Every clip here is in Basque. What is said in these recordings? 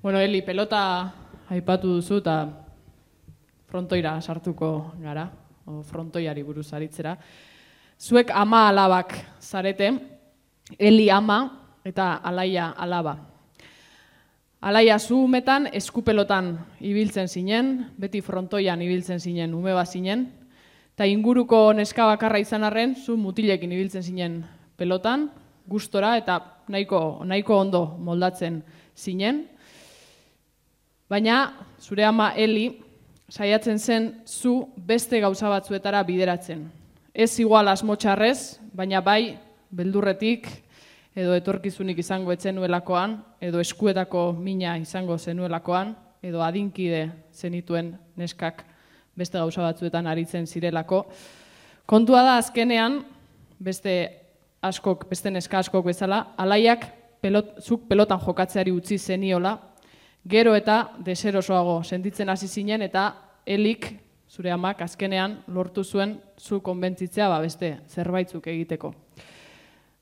Bueno, Eli, pelota aipatu duzu eta frontoira sartuko gara, o frontoiari buruz aritzera. Zuek ama alabak zarete, Eli ama eta Alaia alaba. Alaia zu umetan eskupelotan ibiltzen zinen, beti frontoian ibiltzen zinen, ume bat zinen, eta inguruko neska bakarra izan arren, zu mutilekin ibiltzen zinen pelotan, gustora eta nahiko ondo moldatzen zinen. Baina, zure ama Eli, saiatzen zen zu beste gauza batzuetara bideratzen. Ez igual asmotxarrez, baina bai beldurretik, edo etorkizunik izango etzenuelakoan, edo eskuetako mina izango zenuelakoan, edo adinkide zenituen neskak beste gauza batzuetan aritzen zirelako. Kontua da azkenean, beste neska askok bezala, Alaiak zuk pelotan jokatzeari utzi zeniola, gero eta deserosoago sentitzen hasi zinen eta Elik, zure amak, azkenean lortu zuen zu konbentzitzea beste zerbaitzuk egiteko.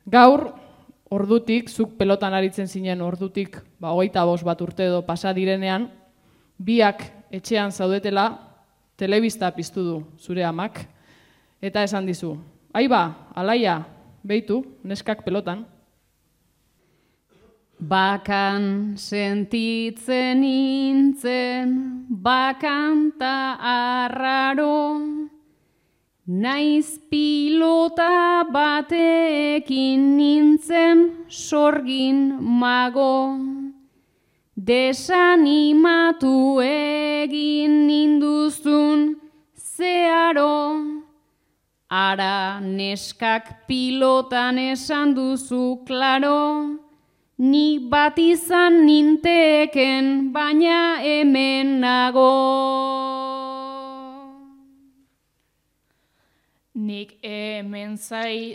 Gaur, ordutik, zuk pelotan aritzen zinen ordutik 25 bat urte edo pasa direnean, biak etxean zaudetela telebista piztu du zure amak, eta esan dizu, aiba, Alaia, beitu, neskak pelotan. Bakan sentitzen nintzen, bakanta arraro, naiz pilota batekin nintzen sorgin mago, desanimatu egin ninduzun zeharo, ara neskak pilotan esan duzu klaro, ni bat izan ninteken, baina hemen nago. Nik hemen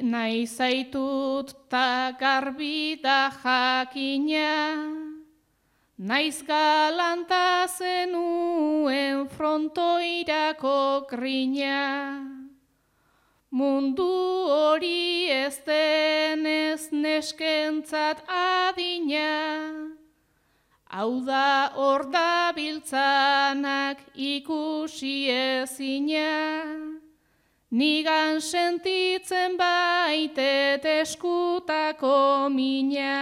nahi zaitut ta garbi da jakina, naiz galanta zenuen frontoirako grina. Mundu hori ez denez neskentzat adina, hau da hor dabiltzanak ikusi ezina, nigan sentitzen baitet eskutako mina.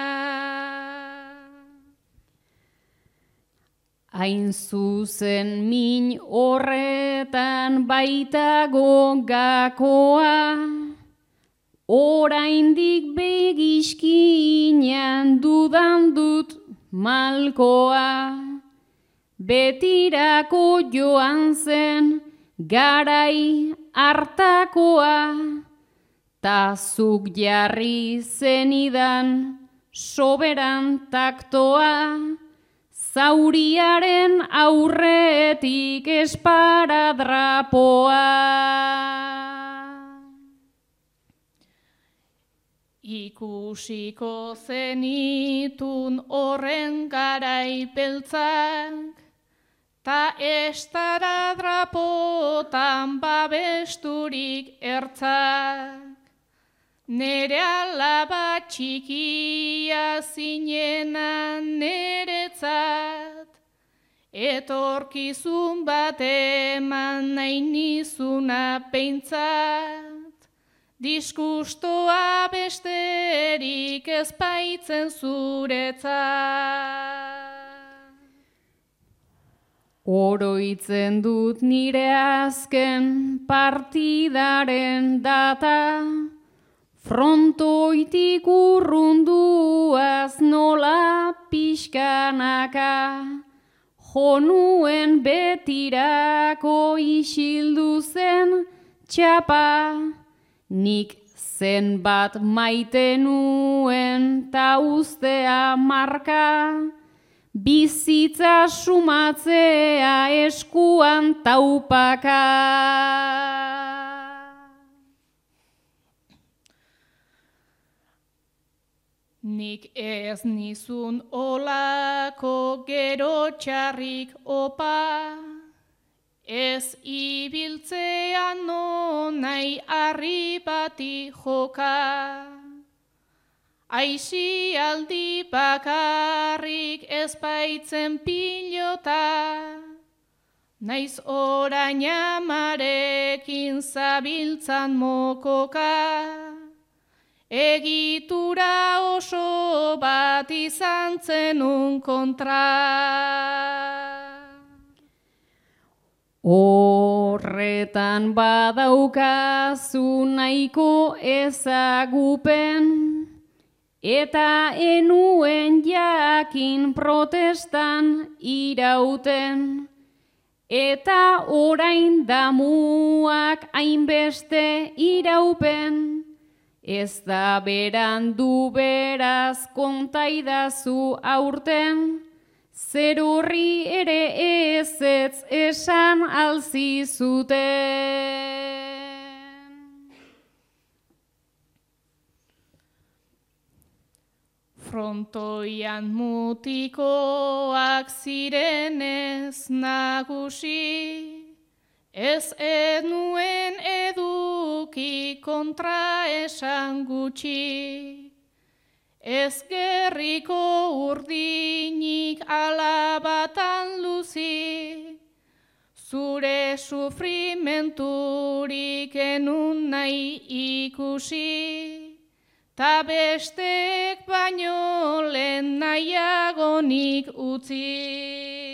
Hain zuzen min horretan baitago gakoa, oraindik begiskinean dudan dut malkoa, betirako joan zen garai hartakoa, ta zuk jarri zenidan soberan taktoa, zauriaren aurretik esparadrapoa. Ikusiko zenitun horren garai beltzak, ta estaradrapotan babesturik ertzak. Nere alaba txikia zinena neretzat, etorkizun bat eman nahi nizuna peintzat, diskustoa besterik ez baitzen zuretzat. Oroitzen dut nire azken partidaren data, frontoitik urrunduaz nola pixkanaka, jonuen betirako isildu zen txapa, nik zenbat maite nuen ta ustea marka, bizitza sumatzea eskuan taupaka. Nik ez nizun olako gero txarrik opa, ez ibiltzean no nahi harri bati joka. Aisialdi bakarrik ez baitzen pilota, naiz orain amarekin zabiltzan mokoka, egitura oso bat izan zenun kontra. Horretan badaukazu nahiko ezagupen, eta enuen jakin protestan irauten, eta orain damuak hainbeste iraupen, ez da berandu beraz kontaidazu aurten, zer horri ere ezetz esan alzizuten. Frontoian mutikoak zirenez nagusi, ez enuen eduki kontra esan gutxi. Ez gerriko urdinik alabatan luzi, zure sufrimenturik enun nahi ikusi, ta bestek baino lehen nahiagonik utzi.